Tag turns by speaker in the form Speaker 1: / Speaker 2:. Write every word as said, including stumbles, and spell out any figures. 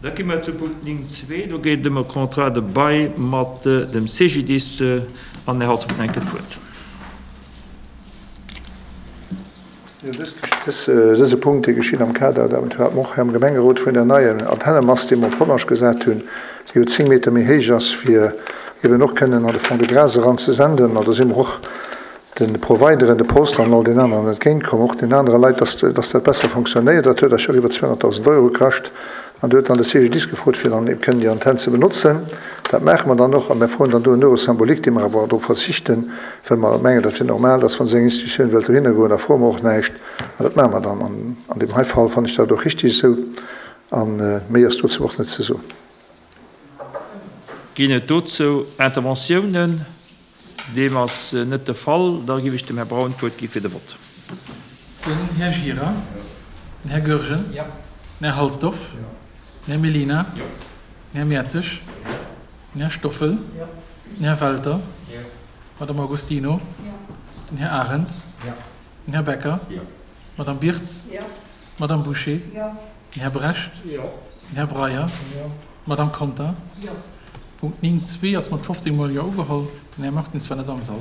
Speaker 1: Da gi mer zu Punkt néng zwee. Do geet et ëm e Contrat de bail mat dem CGDIS. An den Här Holzmann huet eng Kéier d'Wuert.
Speaker 2: Jo, dëse Punkt, dee geschitt am Kader, dat hat mer och hei am Gemengerot, vun der neier Antennemast, déi mer op Hollerech gesat hunn, déi jo zéng Meter méi héich ass, fir eben och kënnen an de Fond-de-Gras eran ze senden. An do si mer och de Provideren, de Post an all den aneren entgéintkomm, och den anere Leit, dass dass dat besser fonctionnéiert. Dat huet eis jo iwwer zweehonnertdausend Euro kascht. An do huet dann de C G D I S gefrot, fir dann eben kënnen déi Antenn ze benotzen. Dat maache mer dann och a mir froen dann do en Euro symbolique, dee mer awer drop verzichten, well mer mengen, dat wier normal, dass wann esou eng Institutioun wëllt dohinner goen, da froe mer och näischt. An dat maache mer dann. An an deem hei Fall fannen ech dat och richtig esou. A méi ass dozou och net ze soen.
Speaker 1: Ginn et dozou Interventiounen? Deem ass net de Fall. Da géif ech dem Här Braun d'Wuert gi fir de Vott.
Speaker 3: Den Här Gira. Den Här Goergen. Den Här Halsdorf. Den Här Mellina. Den Här Mertzig. Den Här Stoffel. Den Här Welter. D'Madame Agostino. Den Här Arendt. Den Här Becker. D'Madame Birtz. D'Madame Bouché. Den Här Brecht. Den Här Breyer. D'Madame Conter. Punkt néng zwee ass mat fofzéng mol Jo ugeholl. Den Här Martins war net am Sall.